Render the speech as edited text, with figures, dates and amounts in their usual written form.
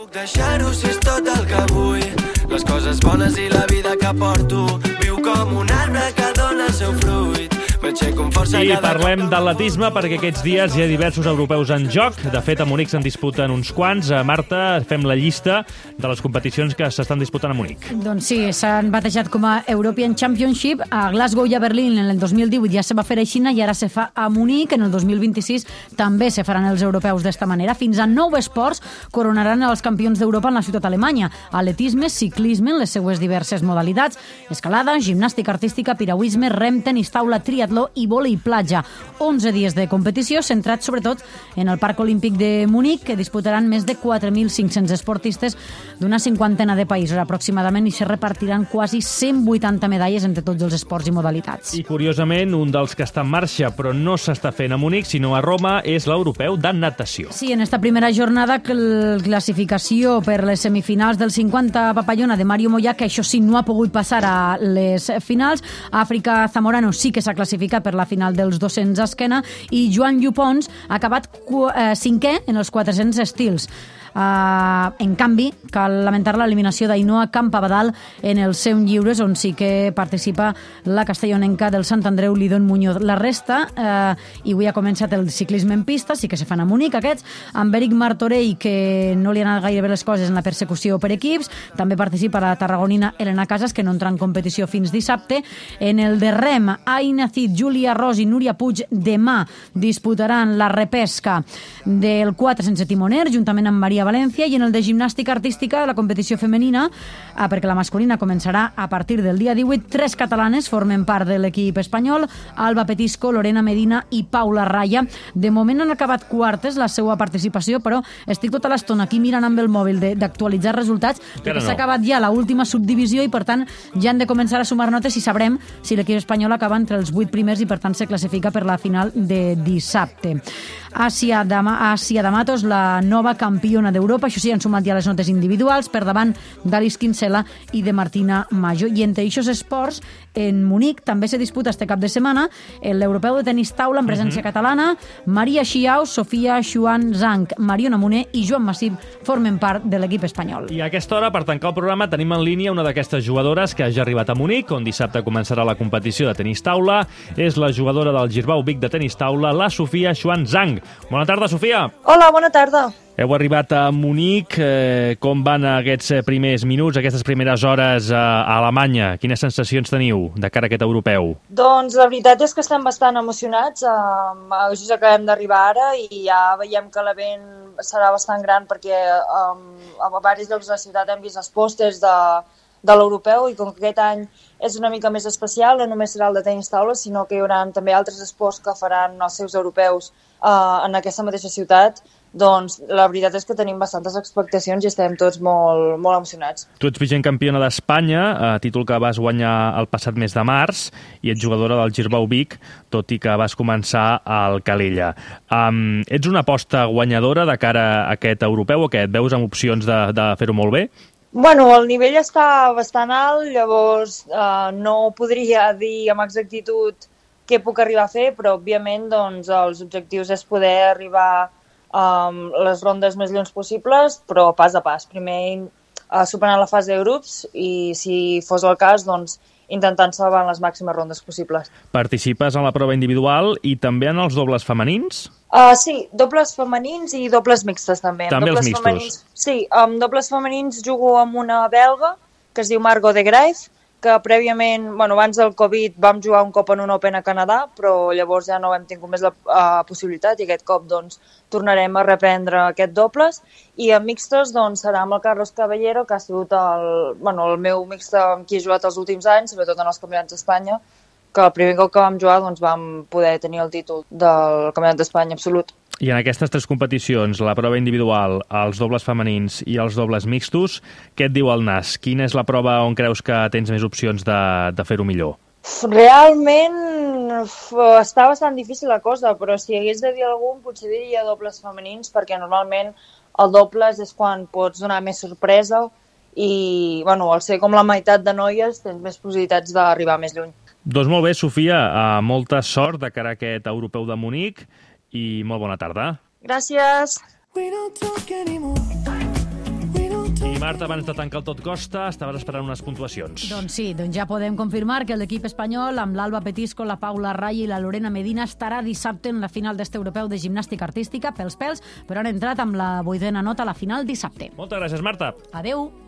Puc deixar-ho si és tot el que vull, les coses bones i la vida que porto. Viu com un arbre que dona el seu fruit. I parlem d'atletisme perquè aquests dies hi ha diversos europeus en joc. De fet, a Munic se'n disputen uns quants. Marta, fem la llista de les competicions que s'estan disputant a Munic. Doncs sí, s'han batejat com a European Championship. A Glasgow i a Berlín en el 2018 ja se va fer a Xina i ara se fa a Munic. En el 2026 també se faran els europeus d'esta manera. Fins a 9 esports coronaran els campions d'Europa en la ciutat alemanya. Atletisme, ciclisme en les seues diverses modalitats, escalada, gimnàstica artística, piragüisme, rem, tenis taula, triatló i vòlei platja. 11 dies de competició centrats sobretot en el Parc Olímpic de Munic, que disputaran més de 4.500 esportistes d'una cinquantena de països aproximadament i se repartiran quasi 180 medalles entre tots els esports i modalitats. I curiosament, un dels que està en marxa però no s'està fent a Munic, sinó a Roma, és l'europeu de natació. Sí, en esta primera jornada classificació per les semifinals del 50 papallona de Mario Moya, que això sí no ha pogut passar a les finals. Àfrica Zamorano sí que s'ha classificat per la final dels 200 a esquena i Joan Llupons ha acabat 5è en els 400 estils. En canvi, cal lamentar l'eliminació d'Ainoa Campabadal en els 100 lliures, on sí que participa la castellonenca del Sant Andreu, Lidón Muñoz. La resta, i avui ha començat el ciclisme en pista, sí que se fan a Munic aquests, amb Eric Martorell, que no li han anat gaire bé les coses en la persecució per equips. També participa la tarragonina Elena Casas, que no entra en competició fins dissabte. En el de rem, Aina Cid, Júlia Ros i Núria Puig demà disputaran la repesca del 4 sense timoner, juntament amb Maria València, i en el de gimnàstica artística de la competició femenina, perquè la masculina començarà a partir del dia 18, 3 catalanes formen part de l'equip espanyol: Alba Petisco, Lorena Medina i Paula Raya. De moment han acabat quartes la seva participació, però estic tota l'estona aquí mirant amb el mòbil d'actualitzar resultats, perquè s'ha acabat ja l'última subdivisió i per tant ja han de començar a sumar notes i sabrem si l'equip espanyol acaba entre els 8 primers i per tant se classifica per la final de dissabte. Àsia D'Amatos, la nova campiona d'Europa, això sí, han sumat ja les notes individuals per davant d'Alice Kinsella i de Martina Majo. I entre aquests esports, en Munic també se disputa este cap de setmana l'europeu de tenis taula amb presència catalana. Maria Xiao, Sofia Xuan Zhang, Mariona Moner i Joan Massip formen part de l'equip espanyol. I a aquesta hora, per tancar el programa, tenim en línia una d'aquestes jugadores que ja ha arribat a Munic, on dissabte començarà la competició de tenis taula. És la jugadora del Girbau Vic de tenis taula, la Sofia Xuan Zhang. Bona tarda, Sofia. Hola, bona tarda. Heu arribat a Munic. Com van aquests primers minuts, aquestes primeres hores a Alemanya? Quines sensacions teniu de cara a aquest europeu? Doncs la veritat és que estem bastant emocionats. Just acabem d'arribar ara i ja veiem que l'event serà bastant gran perquè a diversos llocs de la ciutat hem vist els pòsters de l'europeu i com que aquest any és una mica més especial, no només serà el de tenis taula, sinó que hi haurà també altres esports que faran els seus europeus en aquesta mateixa ciutat. Doncs la veritat és que tenim bastantes expectacions i estem tots molt, molt emocionats. Tu ets vigent campiona d'Espanya, títol que vas guanyar el passat mes de març, i ets jugadora del Girbau Vic, tot i que vas començar al Calella. Ets una aposta guanyadora de cara a aquest europeu o què? Et veus amb opcions de fer-ho molt bé? Bueno, el nivell està bastant alt, llavors no podria dir amb exactitud què puc arribar a fer, però òbviament doncs, els objectius és poder arribar les rondes més lluny possibles, però pas a pas. Primer superant la fase de grups i, si fos el cas, doncs, intentant salvar les màximes rondes possibles. Participes en la prova individual i també en els dobles femenins? Sí, dobles femenins i dobles mixtes també. També els mixtos? Sí, amb dobles femenins jugo amb una belga que es diu Margot de Graef, que prèviament, abans del Covid, vam jugar un cop en un Open a Canadà, però llavors ja no hem tingut més la possibilitat i aquest cop doncs, tornarem a reprendre aquest dobles. I en mixtos doncs, serà amb el Carlos Caballero, que ha sigut el meu mixte amb qui he jugat els últims anys, sobretot en els campionats d'Espanya, que el primer cop que vam jugar doncs, vam poder tenir el títol del campionat d'Espanya absolut. I en aquestes 3 competicions, la prova individual, els dobles femenins i els dobles mixtos, què et diu el nas? Quina és la prova on creus que tens més opcions de fer-ho millor? Realment està bastant difícil la cosa, però si hagués de dir algun, potser diria dobles femenins, perquè normalment el dobles és quan pots donar més sorpresa i, al ser com la meitat de noies, tens més possibilitats d'arribar més lluny. Doncs molt bé, Sofia, molta sort de cara a aquest europeu de Munic i molt bona tarda. Gràcies. Marta, abans de tancar el Tot Costa, estaves esperant unes puntuacions. Doncs sí, ja podem confirmar que l'equip espanyol, amb l'Alba Petisco, la Paula Raya i la Lorena Medina, estarà dissabte en la final d'este europeu de gimnàstica artística, pels pèls, però han entrat amb la 8ª nota a la final dissabte. Moltes gràcies, Marta. Adeu.